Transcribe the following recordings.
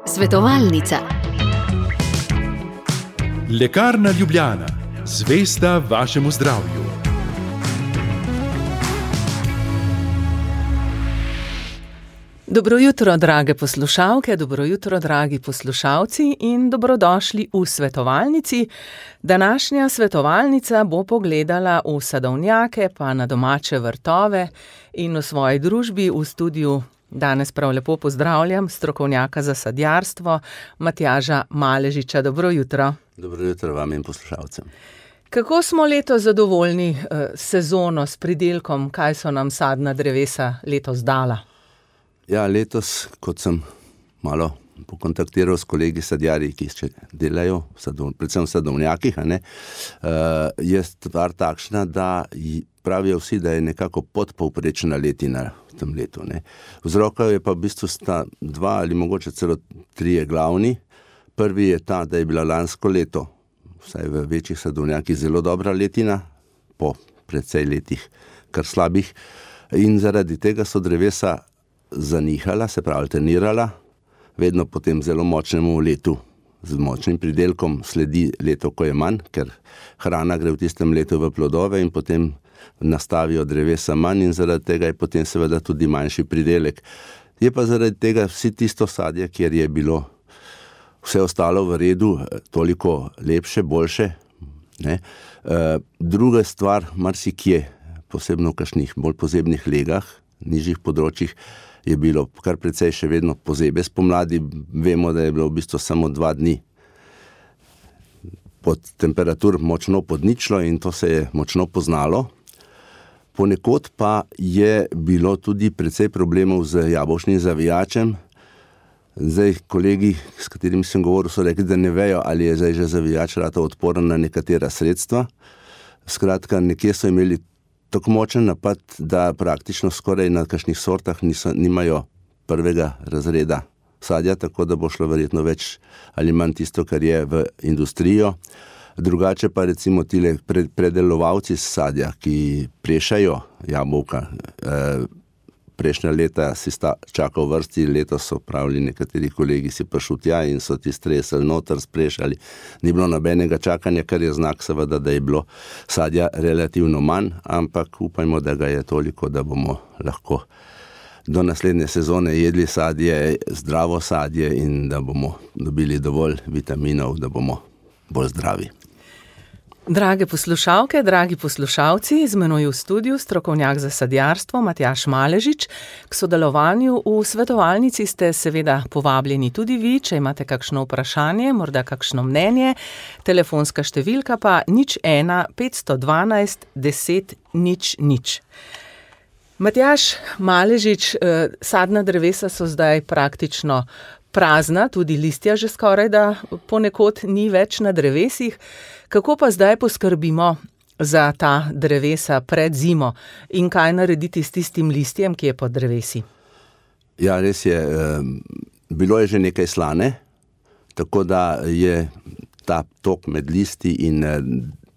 Svetovalnica. Lekarna Ljubljana, zvesta vašemu zdravju. Dobro jutro, drage poslušalke, dobro jutro, dragi poslušalci in dobrodošli v svetovalnici. Današnja svetovalnica bo pogledala v sadovnjake, pa na domače vrtove in v svoji družbi v studiu. Danes prav lepo pozdravljam strokovnjaka za sadjarstvo, Matjaža Maležiča. Dobro jutro. Dobro jutro vam in poslušalcem. Kako smo letos zadovoljni sezono s pridelkom? Kaj so nam sadna drevesa letos dala? Ja, letos, kot sem malo pokontaktiral s kolegi sadjarji, ki še delajo, predvsem v sadovnjakih, je stvar takšna, da pravijo vsi, da je nekako podpovprečna letina v tem letu. Vzrokov je pa v bistvu sta dva ali mogoče celo trije glavni. Prvi je ta, da je bila lansko leto, vsaj v večjih sadovnjakih, zelo dobra letina, po precej letih kar slabih, in zaradi tega so drevesa zanihala, se pravi alternirala, vedno potem zelo močnemu letu z močnim pridelkom sledi leto, ko je manj, ker hrana gre v tistem letu v plodove in potem nastavijo drevesa manj in zaradi tega je potem seveda tudi manjši pridelek. Je pa zaradi tega vsi tisto sadje, kjer je bilo vse ostalo v redu, toliko lepše, boljše. Druga stvar, marsikje, posebno v kakšnih bolj pozebnih legah, nižjih področjih, je bilo kar precej še vedno pozebe spomladi. Vemo, da je bilo v bistvu samo 2 dni pod temperatur močno pod ničlo in to se je močno poznalo. Ponekod pa je bilo tudi precej problemov z jabolčnim zavijačem. Zdaj, kolegi, s katerimi sem govoril, so rekli, da ne vejo, ali je zdaj že zavijač ratov odporen na nekatera sredstva. Skratka, nekje so imeli tako močen napad, da praktično skoraj na kakšnih sortah nimajo prvega razreda sadja, tako da bo šlo verjetno več ali manj tisto, kar je v industrijo. Drugače pa recimo tile predelovalci sadja, ki prešajo jabolka, prejšnja leta si čakal vrsti, letos so pravili nekateri kolegi si prišel tja in so ti stresali noter, sprešali. Ni bilo nobenega čakanja, kar je znak seveda, da je bilo sadja relativno manj, ampak upajmo, da ga je toliko, da bomo lahko do naslednje sezone jedli sadje, zdravo sadje in da bomo dobili dovolj vitaminov, da bomo bolj zdravi. Drage poslušalke, dragi poslušalci, z menoj v studiu strokovnjak za sadjarstvo Matjaž Maležič. K sodelovanju v svetovalnici ste seveda povabljeni tudi vi, če imate kakšno vprašanje, morda kakšno mnenje. Telefonska številka pa 01 512 10 00. Matjaž Maležič, sadna drevesa so zdaj praktično prazna, tudi listja že skoraj da ponekod ni več na drevesih. Kako pa zdaj poskrbimo za ta drevesa pred zimo in kaj narediti s tistim listjem, ki je pod drevesi? Ja, res je. Bilo je že nekaj slane, tako da je ta tok med listi in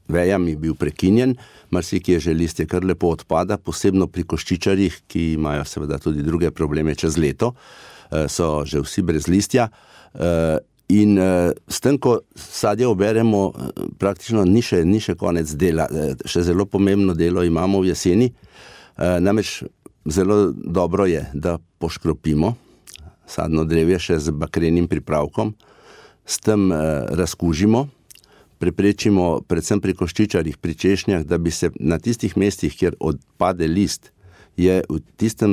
vejami bil prekinjen. Marsikje že listje kar lepo odpada, posebno pri koščičarjih, ki imajo seveda tudi druge probleme čez leto, so že vsi brez listja. In s tem, ko sadje oberemo, praktično ni še konec dela. Še zelo pomembno delo imamo v jeseni. Namreč zelo dobro je, da poškropimo sadno drevje še z bakrenim pripravkom, s tem razkužimo, preprečimo predvsem pri koščičarjih, pri češnjah, da bi se na tistih mestih, kjer odpade list, je v tistem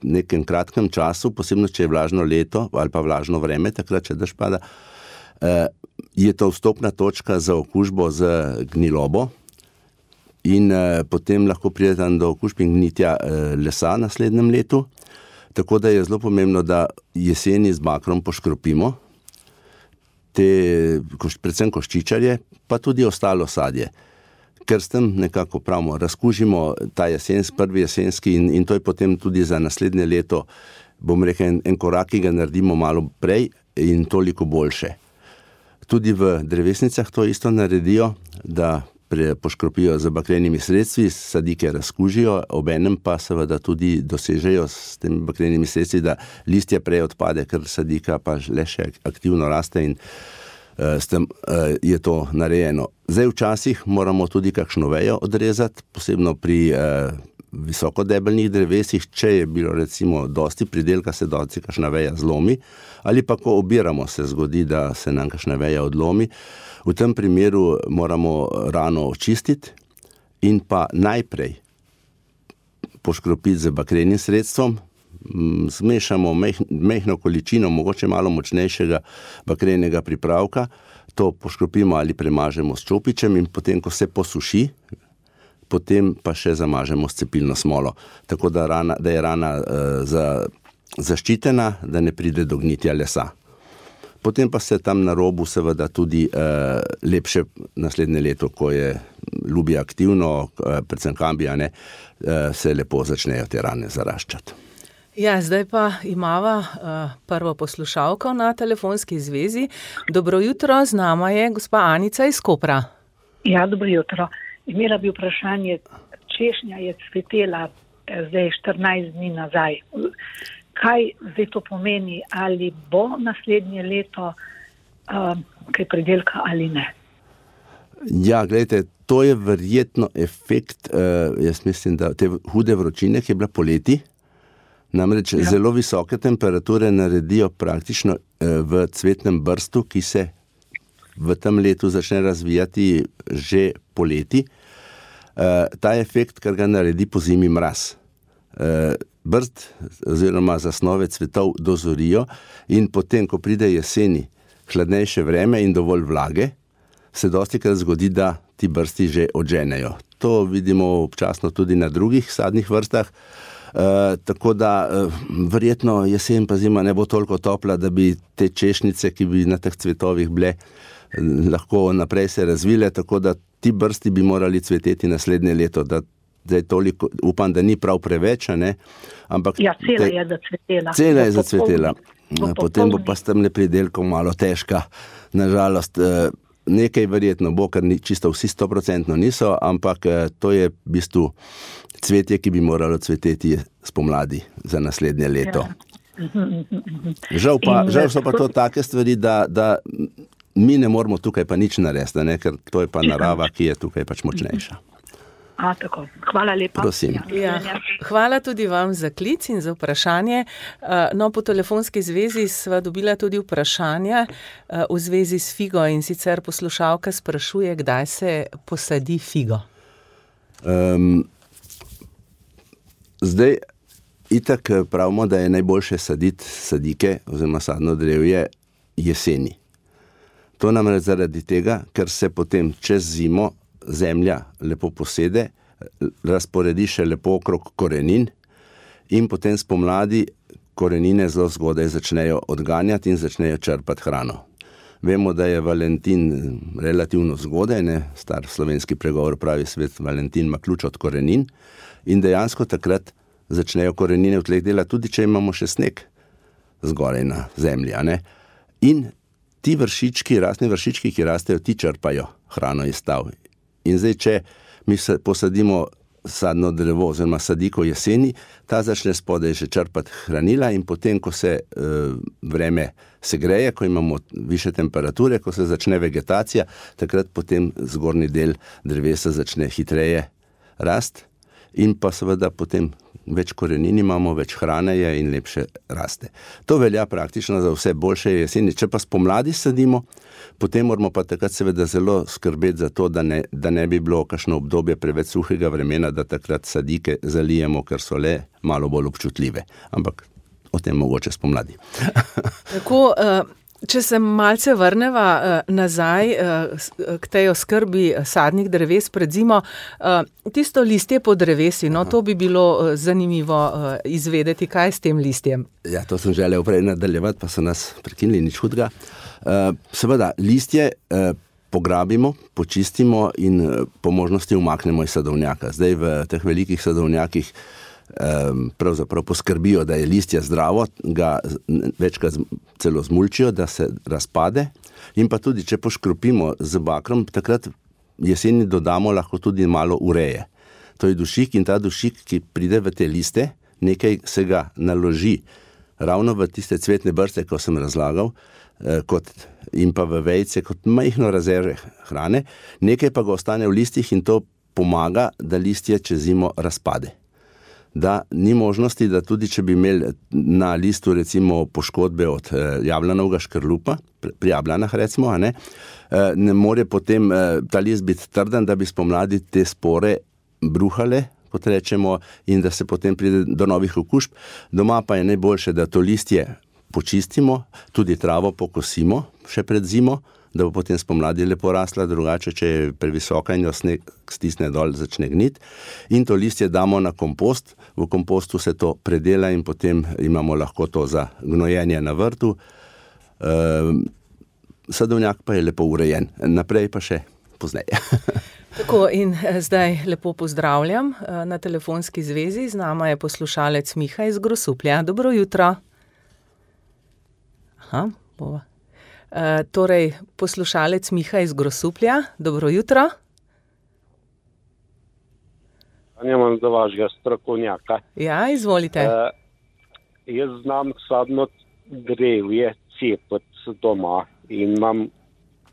nekem kratkem času, posebno če je vlažno leto ali pa vlažno vreme, takrat, če dež pada, je to vstopna točka za okužbo z gnilobo in potem lahko pride tam do okužb in gnitja lesa v naslednjem letu. Tako da je zelo pomembno, da jeseni z bakrom poškropimo predvsem koščičarje, pa tudi ostalo sadje. Ker s tem nekako pravimo, razkužimo ta prvi jesenski in to je potem tudi za naslednje leto, bom rekel, en korak, ki ga naredimo malo prej in toliko boljše. Tudi v drevesnicah to isto naredijo, da poškropijo z bakrenimi sredstvi, sadike razkužijo, obenem pa seveda tudi dosežejo s temi bakrenimi sredstvi, da listje prej odpade, ker sadika pa le še aktivno raste in s tem je to narejeno. Zdaj včasih moramo tudi kakšno vejo odrezati, posebno pri visokodebelnih drevesih, če je bilo recimo dosti pridelka, se dosti kakšna veja zlomi, ali pa ko obiramo, se zgodi, da se nam kakšna veja odlomi. V tem primeru moramo rano očistiti in pa najprej poškropiti z bakrenim sredstvom, zmešamo majhno količino, mogoče malo močnejšega bakrenega pripravka, to poškropimo ali premažemo s čopičem in potem, ko se posuši, potem pa še zamažemo s cepilno smolo, tako da je rana zaščitena, da ne pride do gnitja lesa. Potem pa se tam na robu seveda tudi lepše naslednje leto, ko je ljubje aktivno, predvsem kambija, se lepo začnejo te rane zaraščati. Ja, zdaj pa imava prvo poslušalko na telefonski zvezi. Dobro jutro, z nama je gospa Anica iz Kopra. Ja, dobro jutro. Imela bi vprašanje, češnja je cvetela zdaj 14 dni nazaj. Kaj zdaj to pomeni, ali bo naslednje leto kaj pridelka ali ne? Ja, gledajte, to je verjetno efekt, jaz mislim, da te hude vročine, ki je bila poleti, namreč zelo visoke temperature naredijo praktično v cvetnem brstu, ki se v tem letu začne razvijati že poleti. Ta efekt, kar ga naredi po zimi mraz. Brst oziroma zasnove cvetov dozorijo in potem, ko pride jeseni, hladnejše vreme in dovolj vlage, se dostikrat zgodi, da ti brsti že odženejo. To vidimo občasno tudi na drugih sadnih vrstah, tako da verjetno jesen pa zima ne bo toliko topla, da bi te češnjice, ki bi na teh cvetovih bile, lahko naprej se razvile, tako da ti brsti bi morali cveteti naslednje leto, da zdaj toliko, upam, da ni prav preveč, ampak... Ja, cela je zacvetela. Cela je zacvetela. Potem bo pa s tem pridelkom malo težka. Nažalost, nekaj verjetno bo, ker čisto vsi 100% niso, ampak to je v bistvu cvetje, ki bi moralo cveteti spomladi za naslednje leto. Žal so pa to take stvari, da mi ne moramo tukaj pa nič narediti, ker to je pa narava, ki je tukaj pač močnejša. Tako. Hvala lepa. Prosim. Ja, hvala tudi vam za klic in za vprašanje. No, po telefonski zvezi sva dobila tudi vprašanja v zvezi s figo in sicer poslušalka sprašuje, kdaj se posadi figo. Zdaj, itak pravimo, da je najboljše saditi sadike oziroma sadno drevje jeseni. To namreč zaradi tega, ker se potem čez zimo zemlja lepo posede, razporedi še lepo okrog korenin in potem spomladi korenine zelo zgodaj začnejo odganjati in začnejo črpati hrano. Vemo, da je Valentin relativno zgodaj, star slovenski pregovor pravi svet, Valentin ima ključ od korenin in dejansko takrat začnejo korenine v tleh delati, tudi če imamo še sneg zgoraj na zemlji. In ti vršički, rastni vršički, ki rastejo, ti črpajo hrano iz stav. In zdaj, če mi posadimo sadno drevo oziroma sadiko jeseni, ta začne spodaj že črpati hranila in potem, ko se vreme segreje, ko imamo više temperature, ko se začne vegetacija, takrat potem zgornji del drevesa začne hitreje rast in pa seveda potem več korenin imamo, več hrane je in lepše raste. To velja praktično za vse boljše jeseni. Če pa spomladi sadimo, potem moramo pa takrat seveda zelo skrbeti za to, da ne bi bilo kakšno obdobje preveč suhega vremena, da takrat sadike zalijemo, ker so le malo bolj občutljive. Ampak o tem mogoče spomladi. Tako, če se malce vrneva nazaj k tej oskrbi sadnih dreves pred zimo, tisto listje po drevesi, to bi bilo zanimivo izvedeti, kaj s tem listjem. Ja, to sem želel prej nadaljevati, pa so nas prekinili, nič hudega. Seveda, listje pograbimo, počistimo in po možnosti umaknemo iz sadovnjaka. Zdaj v teh velikih sadovnjakih pravzaprav poskrbijo, da je listje zdravo, ga večkrat celo zmulčijo, da se razpade in pa tudi, če poškropimo z bakrom, takrat jeseni dodamo lahko tudi malo ureje. To je dušik in ta dušik, ki pride v te liste, nekaj se ga naloži ravno v tiste cvetne brste, ko sem razlagal, in pa v vejce kot majhno rezerve hrane, nekaj pa ga ostane v listih in to pomaga, da listje čez zimo razpade. Da ni možnosti, da tudi če bi imeli na listu recimo poškodbe od jablanovega škrlupa, pri jablanah recimo, ne more potem ta list biti trden, da bi spomladi te spore bruhale, kot rečemo, in da se potem pride do novih okužb. Doma pa je najboljše, da to listje počistimo, tudi travo pokosimo še pred zimo, da bo potem spomladi lepo rasla, drugače, če je previsoka in jo sneg stisne dol, začne gniti. In to listje damo na kompost, v kompostu se to predela in potem imamo lahko to za gnojenje na vrtu. Sadovnjak pa je lepo urejen, naprej pa še pozneje. Tako, in zdaj lepo pozdravljam na telefonski zvezi. Z nama je poslušalec Miha iz Grosuplja. Dobro jutro. Bova. Torej, poslušalec Miha iz Grosuplja. Dobro jutro. Imam za vašega strokovnjaka. Ja, izvolite. Jaz znam sadno drevje cepati doma in imam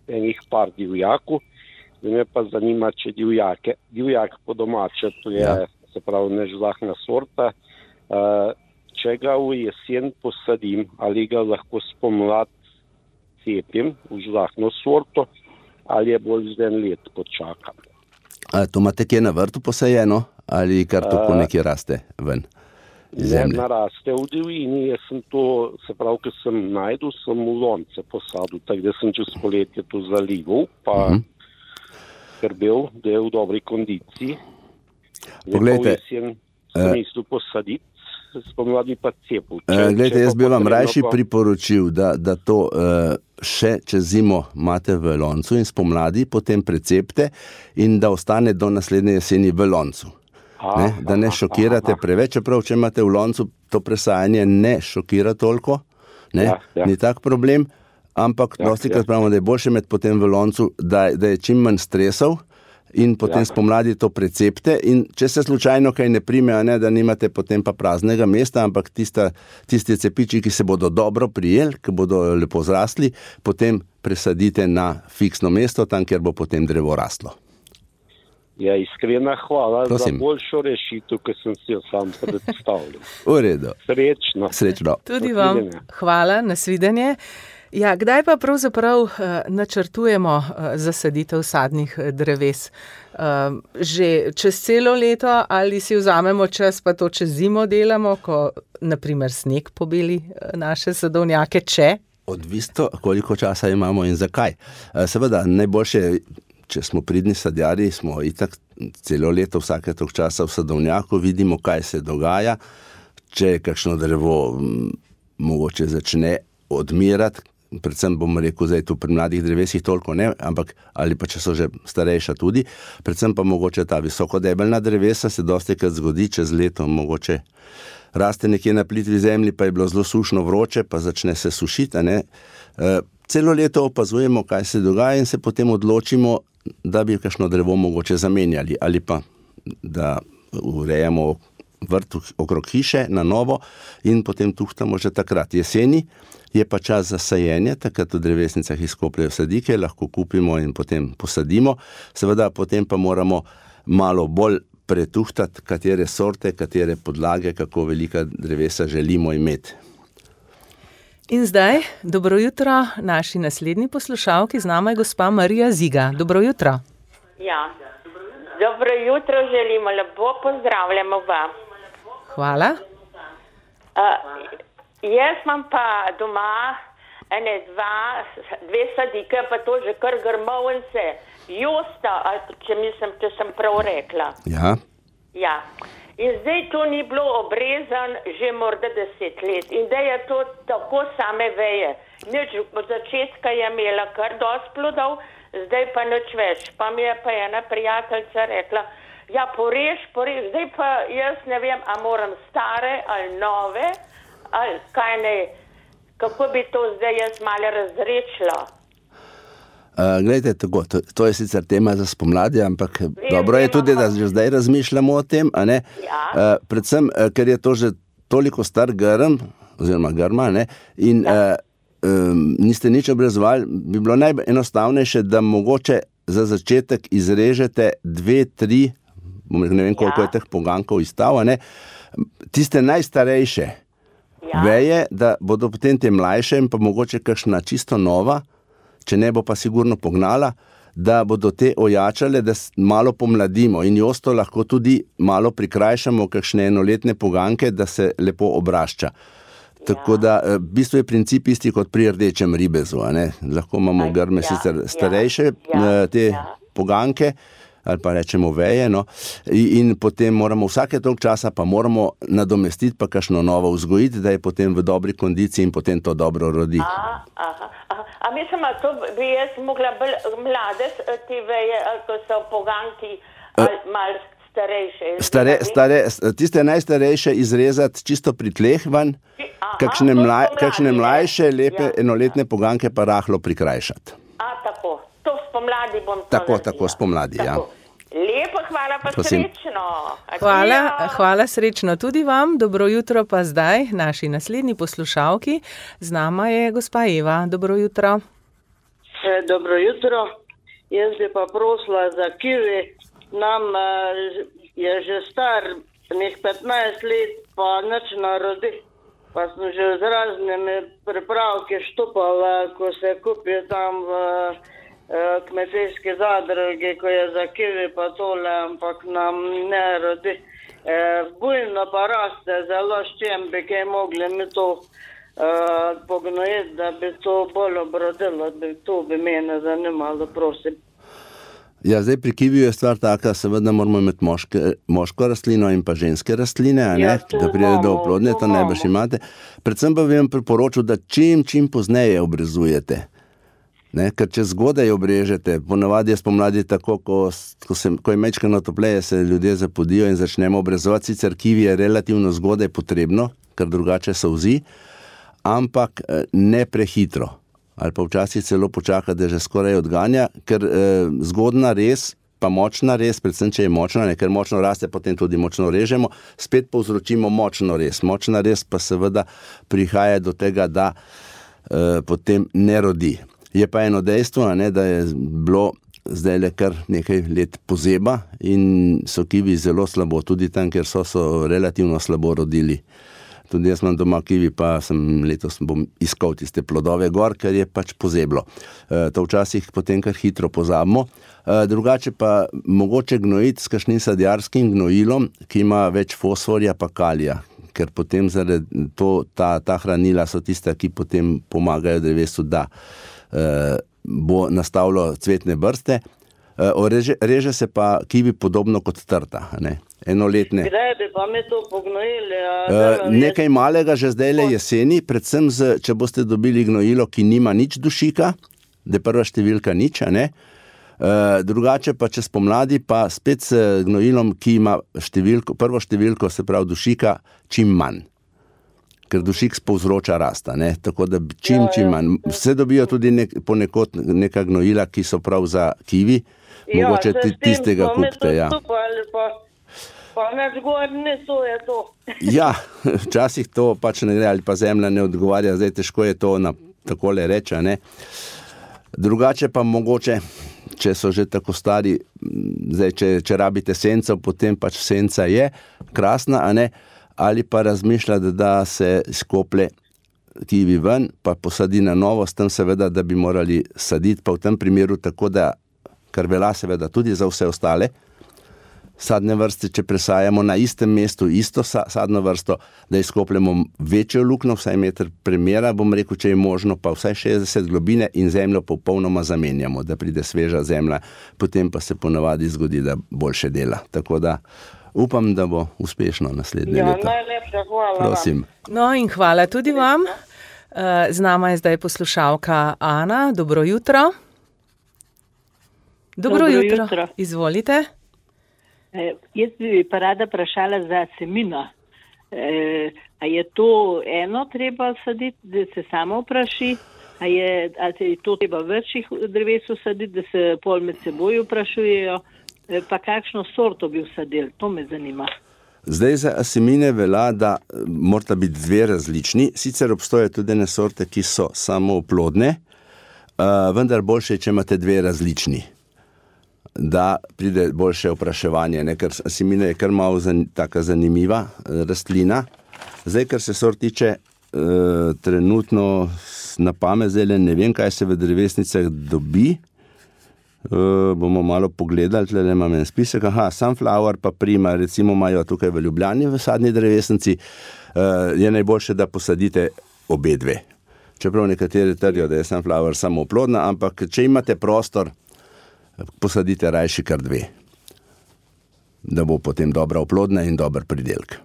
enih par divjakov. Me pa zanima, če divjak po domače, to je, se pravi, nežlahna sorta, če ga v jesen posadim, ali ga lahko spomlad cepim v žlahno sorto, ali je bolj za en let počakam. To imate kje na vrtu posajeno, ali kar tako nekje raste ven iz zemlje? Ne, naraste v divjini, jaz sem to, se pravi, ko sem najdel, sem v lonce posadil, tako da sem čez poletje to zalival, pa skrbel, da je v dobri kondiciji. Poglejte, sem mislil posaditi, spomladi pa cepil. Glejte, jaz bi vam rajši priporočil, da to še čez zimo imate v loncu in spomladi potem precepte in da ostane do naslednje jeseni v loncu. Da ne šokirate preveč, čeprav če imate v loncu to presajanje ne šokira toliko, ni tak problem, ampak dostikrat pravimo, da je boljše imeti potem v loncu, da je čim manj stresov in potem spomladi to precepte in če se slučajno kaj ne prime, da nimate potem pa praznega mesta, ampak tisti cepiči, ki se bodo dobro prijeli, ki bodo lepo zrasli, potem presadite na fiksno mesto, tam, kjer bo potem drevo raslo. Ja, iskrena hvala za boljšo rešitev, ki sem si jo sam predstavljal. V redu. Srečno. Tudi vam hvala, nasvidenje. Ja, kdaj pa pravzaprav načrtujemo zasaditev sadnih dreves? Že čez celo leto ali si vzamemo čas, pa to čez zimo delamo, ko naprimer sneg pobeli naše sadovnjake, če? Odvisno, koliko časa imamo in zakaj. Seveda, najboljše, če smo pridni sadjarji, smo itak celo leto, vsake tok časa v sadovnjaku, vidimo, kaj se dogaja, če kakšno drevo mogoče začne odmirati, predvsem bom rekel, zdaj tu pri mladih drevesih toliko ne, ampak ali pa če so že starejša tudi, predvsem pa mogoče ta visokodebelna drevesa se dostikrat zgodi čez leto, mogoče raste nekje na plitvi zemlji, pa je bilo zelo sušno vroče, pa začne se sušiti, Celo leto opazujemo, kaj se dogaja in se potem odločimo, da bi kakšno drevo mogoče zamenjali ali pa da urejamo vrt okrog hiše na novo in potem tuhtamo že takrat. Jeseni je pa čas za sajenje, takrat v drevesnicah izkopljajo sadike, lahko kupimo in potem posadimo. Seveda potem pa moramo malo bolj pretuhtati, katere sorte, katere podlage, kako velika drevesa želimo imeti. In zdaj, dobro jutro, naši naslednji poslušalki, z nama je gospa Marija Ziga. Dobro jutro. Ja, dobro jutro želimo, lepo pozdravljamo vam. Hvala. Jaz imam pa doma dve sadike, pa to že kar grmovnice, Josta, če sem prav rekla. Ja. Ja. In zdaj to ni bilo obrezan že morda 10 let. In da je to tako same veje. Nič, od začetka je imela kar dosti plodov, zdaj pa nič več. Pa mi je pa ena prijateljica rekla, ja, porež, zdaj pa jaz ne vem, a moram stare ali nove, ali kaj ne, kako bi to zdaj jaz malo razrečila. Glejte, tako, to je sicer tema za spomladi, ampak dobro je tudi, da že zdaj razmišljamo o tem, a ne? Ja. Predvsem, ker je to že toliko star grm, oziroma grma, ne? In niste nič obrezovali, bi bilo najenostavnejše, da mogoče za začetek izrežete 2-3, ne vem, koliko je teh pogankov izstav, ne? Tiste najstarejše veje, da bodo potem te mlajše in pa mogoče kakšna čisto nova, če ne bo pa sigurno pognala, da bodo te ojačale, da malo pomladimo in josto lahko tudi malo prikrajšamo, kakšne enoletne poganke, da se lepo obrašča. Tako da v bistvu je princip isti kot pri rdečem ribezu, a ne? Lahko imamo grme sicer starejše te poganke, ali pa rečemo veje, no, in potem moramo vsake toliko časa pa moramo nadomestiti pa kakšno novo vzgojiti, da je potem v dobri kondiciji in potem to dobro rodi. A mislim, to bi jaz mogla bolj mlade te veje, ko so poganki malo starejše. Tiste najstarejše izrezati čisto pri tleh van, kakšne mlajše, lepe enoletne poganke pa rahlo prikrajšati. Tako. To spomladi bom to Tako, spomladi, ja. Lepo, hvala pa srečno. Hvala srečno tudi vam. Dobro jutro pa zdaj naši naslednji poslušalki. Z nama je gospa Eva. Dobro jutro. Dobro jutro. Jaz bi pa prosila za kivi. Nam je že star nek 15 let, pa nič narodi. Pa sem že z raznimi pripravki štupala, ko se kupi tam v kmetijske zadruge, ko je za kivi pa tole, ampak nam ne rodi. Bujno pa raste, zelo s čem bi kaj mogli mi to pognojiti, da bi to bolj obrodilo, to bi mene zanimalo, prosim. Ja, zdaj pri kiviju je stvar taka, seveda moramo imeti moško rastlino in pa ženske rastline, a ne, da pride do oplodnje, to najbrž imate. Predvsem pa bi vam priporočil, da čim pozneje obrezujete. Ne, ker če zgodaj obrežete, ponavadi je spomladi tako, ko je majčkeno topleje, se ljudje zapodijo in začnemo obrezovati, sicer kivi je relativno zgodaj potrebno, ker drugače solzi, ampak ne prehitro. Ali pa včasih celo počaka, da že skoraj odganja, ker zgodna res, pa močna res, predvsem če je močna, ne, ker močno raste, potem tudi močno režemo, spet povzročimo močno res. Močna res pa seveda prihaja do tega, da potem ne rodi. Je pa eno dejstvo, a ne, da je bilo zdaj le kar nekaj let pozeba in so kivi zelo slabo, tudi tam, ker so relativno slabo rodili. Tudi jaz imam doma kivi, pa letos bom iskal tiste plodove gor, ker je pač pozeblo. To včasih potem kar hitro pozabimo. Drugače pa mogoče gnojiti s kakšnim sadjarskim gnojilom, ki ima več fosforja pa kalija, ker potem zaradi ta hranila so tista, ki potem pomagajo drevesu, da bo nastavilo cvetne brste. Reže se pa kivi podobno kot trta, ne? Enoletne. Kdaj bi pa mi to pognojili? Nekaj malega že zdajle jeseni, predvsem če boste dobili gnojilo, ki nima nič dušika, da je prva številka nič, a ne? Drugače pa čez pomladi pa spet s gnojilom, ki ima prvo številko, se pravi dušika, čim manj. Ker dušik povzroča rasta, ne? Tako da čim manj. Vse dobijo tudi ponekod neka gnojila, ki so prav za kivi, mogoče tistega kupite, ja. Pa neč gorni, to je to. Ja, včasih to pač ne gre, ali pa zemlja ne odgovarja, zdaj težko je to takole reči, ne. Drugače pa mogoče, če so že tako stari, zdaj če rabite senco, potem pač senca je krasna, a ne, ali pa razmišljati, da se skople kivi ven, pa posadi na novo, s tem seveda, da bi morali saditi, pa v tem primeru tako, da, kar velja seveda tudi za vse ostale sadne vrste, če presajamo na istem mestu isto sadno vrsto, da izkopljemo večjo luknjo, vsaj meter premera, bom rekel, če je možno, pa vsaj 60 globine in zemljo popolnoma zamenjamo, da pride sveža zemlja, potem pa se ponavadi zgodi, da boljše dela. Tako da upam, da bo uspešno naslednje leto. Ja, najlepša hvala. Prosim. No in hvala tudi vam. Z nama je zdaj poslušalka Ana. Dobro jutro. Dobro jutro. Izvolite. Jaz bi pa rada vprašala za semino. A je to eno treba saditi, da se samo vpraši? Ali je to treba večjih dreves usaditi, da se pol med seboj vprašujejo, pa kakšno sorto bi usadili, to me zanima. Zdaj za asimine velja, da morata biti dve različni, sicer obstoje tudi ene sorte, ki so samooplodne, vendar boljše, če imate dve različni, da pride boljše opraševanje, ne? Ker asimine je kar malo taka zanimiva rastlina. Zdaj, kar se sort tiče, trenutno na pamet zdaj ne vem, kaj se v drevesnicah dobi. Bomo malo pogledali, tle imam en spisek. Sunflower pa Prima, recimo imajo tukaj v Ljubljani v sadni drevesnici, je najboljše, da posadite obe dve. Čeprav nekateri trdijo, da je Sunflower samooplodna, ampak če imate prostor, posadite rajši kar dve, da bo potem dobra oplodna in dober pridelk.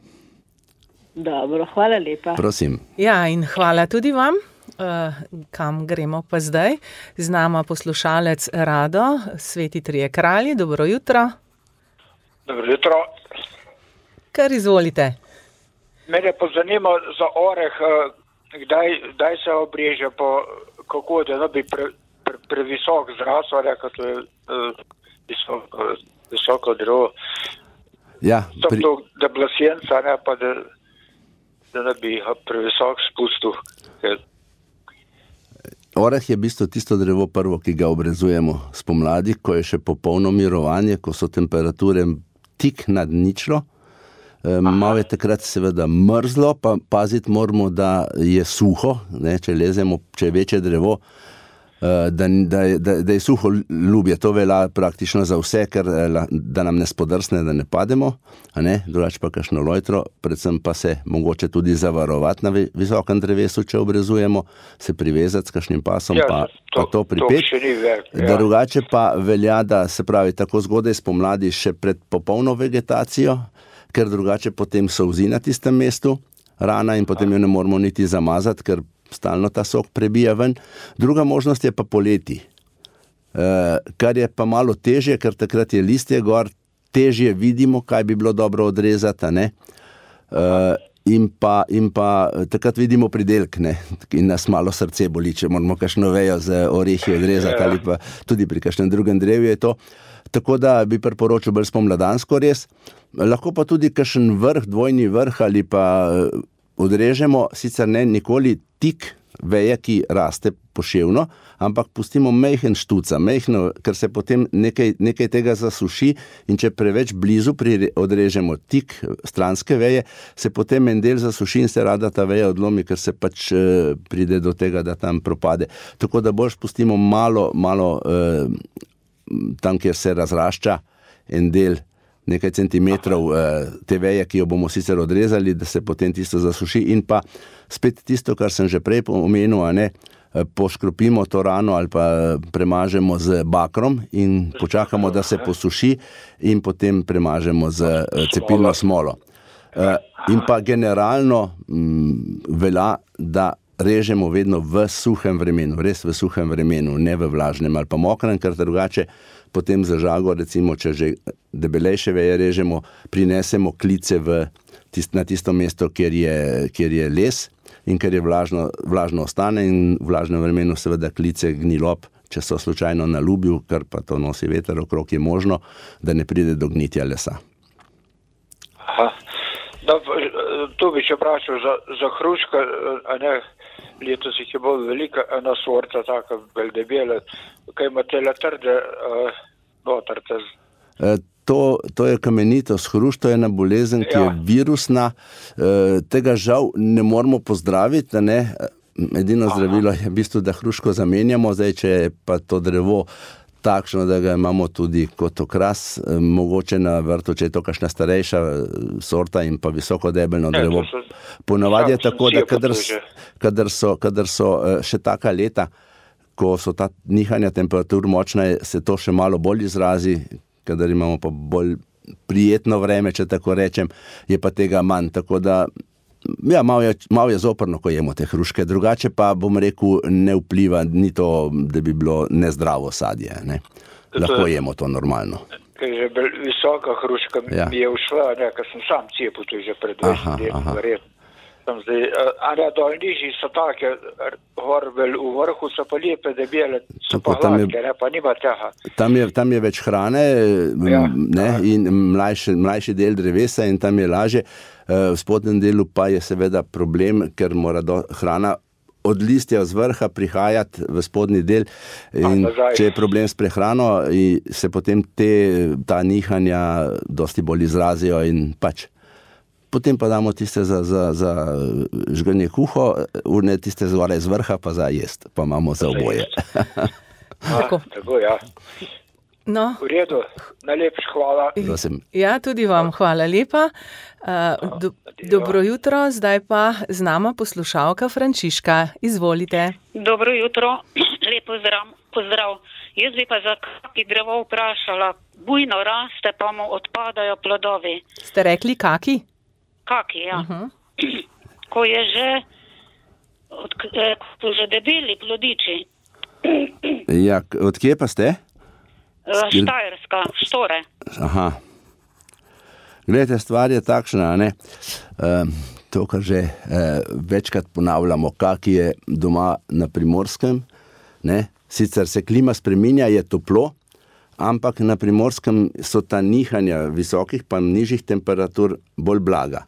Dobro, hvala lepa. Prosim. Ja, in hvala tudi vam. Kam gremo pa zdaj? Z nama poslušalec Rado, Sveti trije kralji, dobro jutro. Dobro jutro. Kar izvolite. Mene pa zanima za oreh, kdaj se obreže, kako da ne bi previsok zrasel, kot je visoko drevo. Ja, da bila senca, ne pa da ne bi previsok spustil. Oreh je v bistvu tisto drevo prvo, ki ga obrezujemo spomladi, ko je še popolno mirovanje, ko so temperature tik nad ničlo. Malo je takrat seveda mrzlo, pa paziti moramo, da je suho, ne, če lezemo, če je večje drevo, da je suho ljubje. To velja praktično za vse, ker da nam ne spodrsne, da ne pademo, drugače pa kakšno lojtro, predvsem pa se mogoče tudi zavarovati na visokem drevesu, če obrezujemo, se privezati s kakšnim pasom, pa to pripeti. Drugače pa velja, da se pravi tako zgodaj spomladi še pred popolno vegetacijo, ker drugače potem solzi na tistem mestu rana in potem jo ne moramo niti zamazati, ker stalno ta sok prebija ven. Druga možnost je pa poleti, kar je pa malo težje, ker takrat je listje gor, težje vidimo, kaj bi bilo dobro odrezati, ne? In pa takrat vidimo pridelk, ne? In nas malo srce boli, če moramo kakšno vejo z orehi odrezati, ali pa tudi pri kakšnem drugem drevju je to. Tako da bi priporočil bolj spomladansko res. Lahko pa tudi kakšen vrh, dvojni vrh ali pa odrežemo, sicer ne nikoli tik veje, ki raste poševno, ampak pustimo majhen štuca, majhno, ker se potem nekaj tega zasuši in če preveč blizu odrežemo tik stranske veje, se potem en del zasuši in se rada ta veja odlomi, ker se pač pride do tega, da tam propade. Tako da boljš pustimo malo tam, kjer se razrašča en del, nekaj centimetrov te veje, ki jo bomo sicer odrezali, da se potem tisto zasuši in pa spet tisto, kar sem že prej omenil, poškropimo to rano ali pa premažemo z bakrom in počakamo, da se posuši in potem premažemo z cepilno smolo. In pa generalno velja, da režemo vedno v suhem vremenu, res v suhem vremenu, ne v vlažnem ali pa mokrem, ker drugače potem za žago, recimo, če že debelejše veje režemo, prinesemo klice na tisto mesto, kjer je les in ker je vlažno ostane in v vlažnem vremenu seveda klice gnilob, če so slučajno na lubju, ker pa to nosi veter okrog, je možno, da ne pride do gnitja lesa. Tu bi še vprašal za hruška, letos jih je bolj velika, ena sorta, taka bolj debela, kaj imate le trde notrte? To je kamenitost hrušk, to je ena bolezen, ki je virusna, tega žal ne moramo pozdraviti, edino zdravilo je v bistvu, da hruško zamenjamo, zdaj, če je pa to drevo takšno, da ga imamo tudi kot okras, mogoče na vrtu, če je to kakšna starejša sorta in pa visoko debelno drevo. Ponavadi je tako, da kadar so še taka leta, ko so ta nihanja temperatur močna, se to še malo bolj izrazi, kadar imamo pa bolj prijetno vreme, če tako rečem, je pa tega manj, tako da malo je zoprno, ko jemo te hruške, drugače pa, bom rekel, ne vpliva, ni to, da bi bilo nezdravo sadje, ne. Lahko jemo to normalno. Ker je že visoka hruška mi je ušla, ker sem sam cepil, to je že pred 20 let, verjetno. Tam zdaj, a dol nižji so take, v vrhu so pa lepe, debele, so pa hladke, pa nima teha. Tam je več hrane, ne, in mlajši del drevesa in tam je lažje. V spodnjem delu pa je seveda problem, ker mora hrana od listja z vrha prihajati v spodnji del in če je problem s prehrano, se potem ta nihanja dosti bolj izrazijo in pač. Potem pa damo tiste za žganje kuho, urne tiste zgoraj z vrha pa za jest, pa imamo za oboje. Tako, ja. No. V redu, najlepša hvala. Prosim. Ja, tudi vam hvala lepa. Dobro jutro, zdaj pa z nama poslušalka Frančiška. Izvolite. Dobro jutro, lep pozdrav. Jaz bi pa za kaki drevo vprašala. Bujno raste, pa mu odpadajo plodovi. Ste rekli kaki? Kaki, ja. Ko je že debeli plodiči. Ja, odkje pa ste? Štajerska, Štore. Aha. Glejte, stvar je takšna, ne? To, kar že večkrat ponavljamo, kak je doma na Primorskem, ne? Sicer se klima spreminja, je toplo, ampak na Primorskem so ta nihanja visokih pa nižjih temperatur bolj blaga.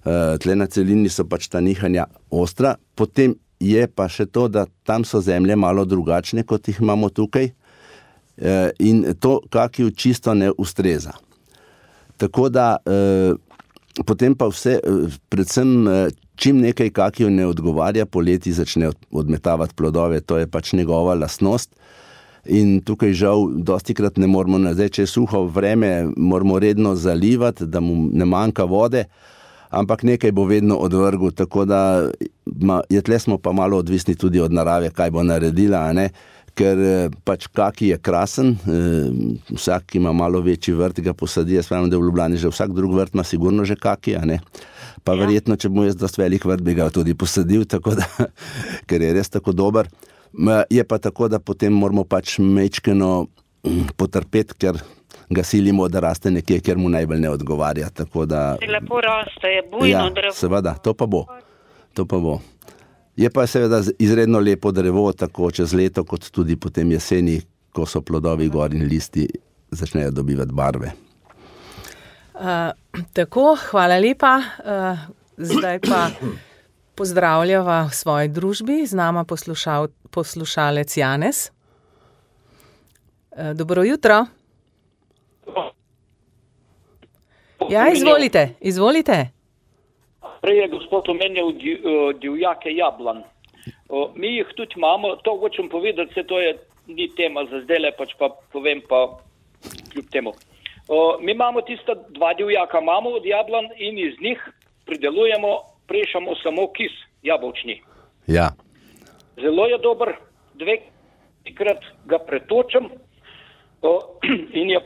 Tle na celini so pač ta nihanja ostra, potem je pa še to, da tam so zemlje malo drugačne, kot jih imamo tukaj, in to kakiju čisto ne ustreza. Tako da potem pa vse, predvsem čim nekaj kakiju ne odgovarja, poleti začne odmetavati plodove, to je pač njegova lastnost in tukaj žal dostikrat ne moramo, zdaj, če je suho vreme, moramo redno zalivati, da mu ne manjka vode, ampak nekaj bo vedno odvrgel, tako da tle smo pa malo odvisni tudi od narave, kaj bo naredila, a ne? Ker pač kaki je krasen, vsak, ki ima malo večji vrt, ga posadi, jaz pravim, da v Ljubljani že vsak drug vrt ima sigurno že kaki, a ne? Pa verjetno, če mu jaz dost velik vrt, bi ga tudi posadil, tako da, ker je res tako dober. Je pa tako, da potem moramo pač mečkeno potrpeti, ker ga silimo, da raste nekje, kjer mu najbolj ne odgovarja, tako da... Lepo raste, je bujno drevo. Ja, seveda, to pa bo. Je pa seveda izredno lepo drevo, tako čez leto, kot tudi potem jeseni, ko so plodovi gor in listi začnejo dobivati barve. Tako, hvala lepa. Zdaj pa pozdravljava v svoji družbi, z nama poslušalec Janez. Dobro jutro. Ja, izvolite. Prej je gospod omenjal divjake jablan. Mi jih tudi imamo, to hočem povedati, se to ni tema za zdajle, pač pa povem pa kljub temu. Mi imamo tista 2 divjaka imamo od jablan in iz njih pridelujemo, prešamo samo kis jabolčni. Ja. Zelo je dober, 2-krat ga pretočem in je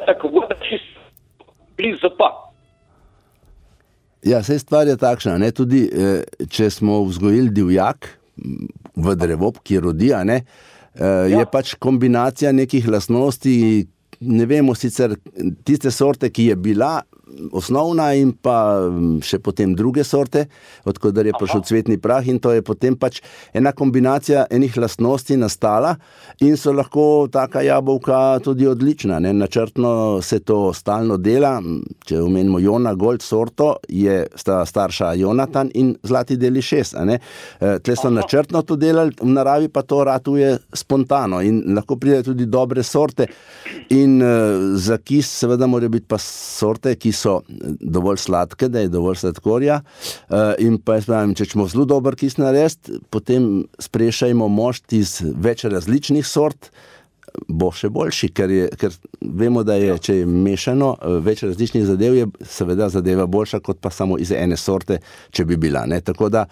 tako voda blizu pa. Ja, saj stvar je takšna, ne, tudi če smo vzgojili divjak v drevo, ki rodi, ne, je pač kombinacija nekih lastnosti, ne vemo sicer tiste sorte, ki je bila osnovna in pa še potem druge sorte, odkudar je prišel cvetni prah in to je potem pač ena kombinacija enih lastnosti nastala in so lahko taka jabolka tudi odlična, ne? Načrtno se to stalno dela, če omenimo Jona Gold sorto, sta starša Jonatan in Zlati deli 6, a ne? Tle so načrtno to delali, v naravi pa to ratuje spontano in lahko pride tudi dobre sorte in za kis seveda morajo biti pa sorte, ki so dovolj sladke, da je dovolj sladkorja in pa jaz pravim, če ćemo zelo dober kis narediti, potem sprešajmo mošt iz več različnih sort, bo še boljši, ker vemo, da je, če je mešano več različnih zadev, je seveda zadeva boljša, kot pa samo iz ene sorte, če bi bila, ne, tako da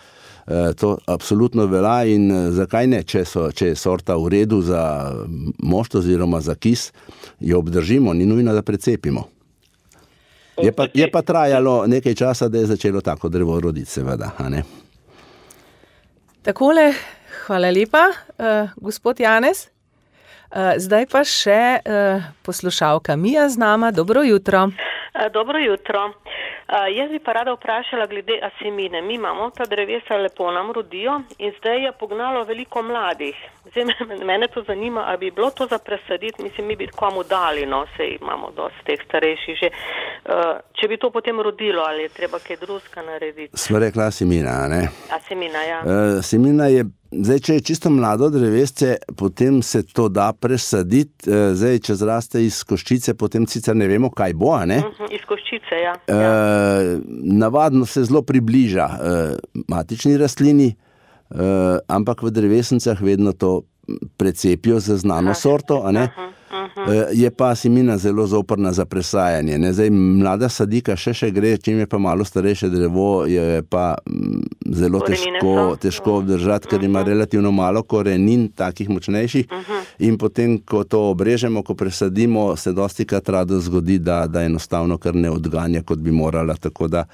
to absolutno velja in zakaj ne, če je sorta v redu za mošt oziroma za kis, jo obdržimo, ni nujno, da precepimo. Je pa trajalo nekaj časa, da je začelo tako drevo roditi, seveda, a ne? Takole, hvala lepa, gospod Janez. Zdaj pa še poslušalka Mija z nama. Dobro jutro. Dobro jutro. Jaz bi pa rada vprašala glede asemine. Mi imamo ta drevesa, lepo nam rodijo in zdaj je pognalo veliko mladih. Zdaj mene to zanima, ali bi bilo to za presaditi, mislim, mi bi komu dali, no, sej imamo dosti teh starejših že. Če bi to potem rodilo, ali je treba kaj drugega narediti? Sva rekla asemina, ne? Asemina, ja. Asemina je, zdaj, če je čisto mlado drevesce, potem se to da presaditi, zdaj, če zraste iz koščice, potem sicer ne vemo, kaj bo, ne? Iz koščice, ja. Navadno se zelo približa matični rastlini, ampak v drevesnicah vedno to precepijo za znano sorto, a ne? Je pa asemina zelo zoprna za presajanje, ne? Zdaj, mlada sadika še gre, čim je pa malo starejše drevo, je pa zelo težko obdržati, ker ima relativno malo korenin, takih močnejših, in potem, ko to obrežemo, ko presadimo, se dostikrat rado zgodi, da enostavno kar ne odganja, kot bi morala, tako da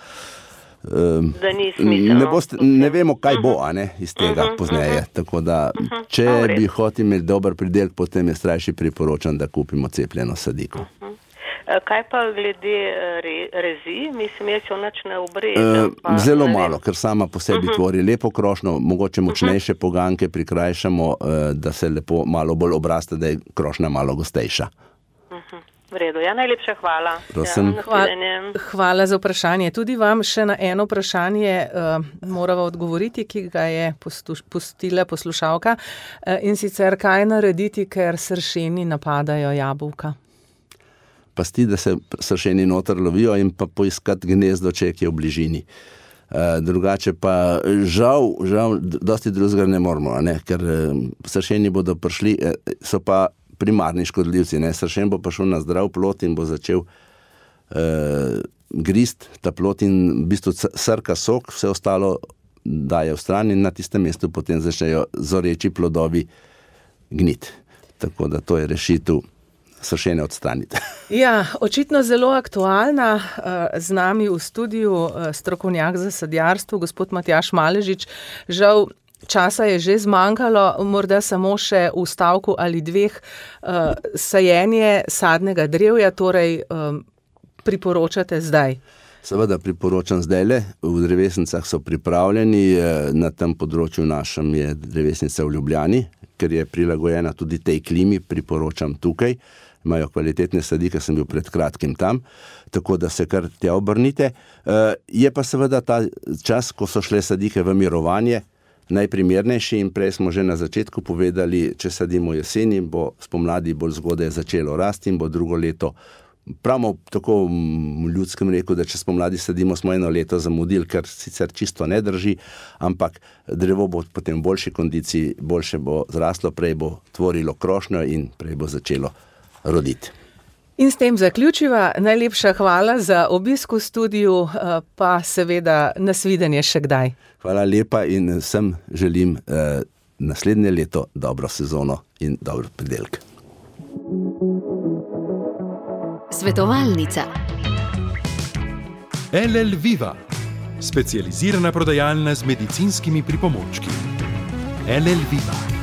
ne vemo, kaj bo, a ne, iz tega pozneje. Tako da, če bi hoteli imeti dober pridelek, potem je strajši priporočam, da kupimo cepljeno sadiko. Kaj pa glede rezi? Mislim, jaz jo nič ne obrežem. Zelo malo, ker sama po sebi tvori lepo krošnjo, mogoče močnejše poganke prikrajšamo, da se lepo malo bolj obraste, da je krošnja malo gostejša. V redu, ja, najlepša hvala. Hvala za vprašanje. Tudi vam še na eno vprašanje morava odgovoriti, ki ga je pustila poslušalka. In sicer, kaj narediti, ker sršeni napadajo jabolka? Pasti, da se sršeni noter lovijo in pa poiskati gnezdo, če je v bližini. Drugače pa žal, dosti drugega ne moramo, ne? Ker sršeni bodo prišli, so pa primarni škodljivci, ne? Sršen bo prišel na zdrav plot in bo začel grist ta plot in v bistvu srka sok, vse ostalo daje v stran in na tistem mestu potem začnejo zoreči plodovi gniti. Tako da to je rešitev sršene odstraniti. Ja, očitno zelo aktualna. Z nami v studiu strokovnjak za sadjarstvo, gospod Matjaž Maležič. Žal, časa je že zmanjkalo, morda samo še v stavku ali dveh. Sajenje sadnega drevja, torej priporočate zdaj? Seveda priporočam zdajle. V drevesnicah so pripravljeni, na tem področju našem je drevesnica v Ljubljani, ker je prilagojena tudi tej klimi, priporočam tukaj. Imajo kvalitetne sadike, sem bil pred kratkim tam, tako da se kar tja obrnite. Je pa seveda ta čas, ko so šle sadike v mirovanje, najprimernejši in prej smo že na začetku povedali, če sadimo jeseni, bo spomladi bolj zgodaj začelo rasti in bo drugo leto. Pravimo tako v ljudskem reku, da če spomladi sadimo, smo eno leto zamudili, kar sicer čisto ne drži, ampak drevo bo potem v boljši kondiciji, boljše bo zraslo, prej bo tvorilo krošnjo in prej bo začelo roditi. In s tem zaključiva. Najlepša hvala za obisk v studiu, pa seveda nasvidenje še kdaj. Hvala lepa in vsem želim naslednje leto dobro sezono in dober pridelek. Svetovalnica. LL Viva, specializirana prodajalna z medicinskimi pripomočki. LL Viva.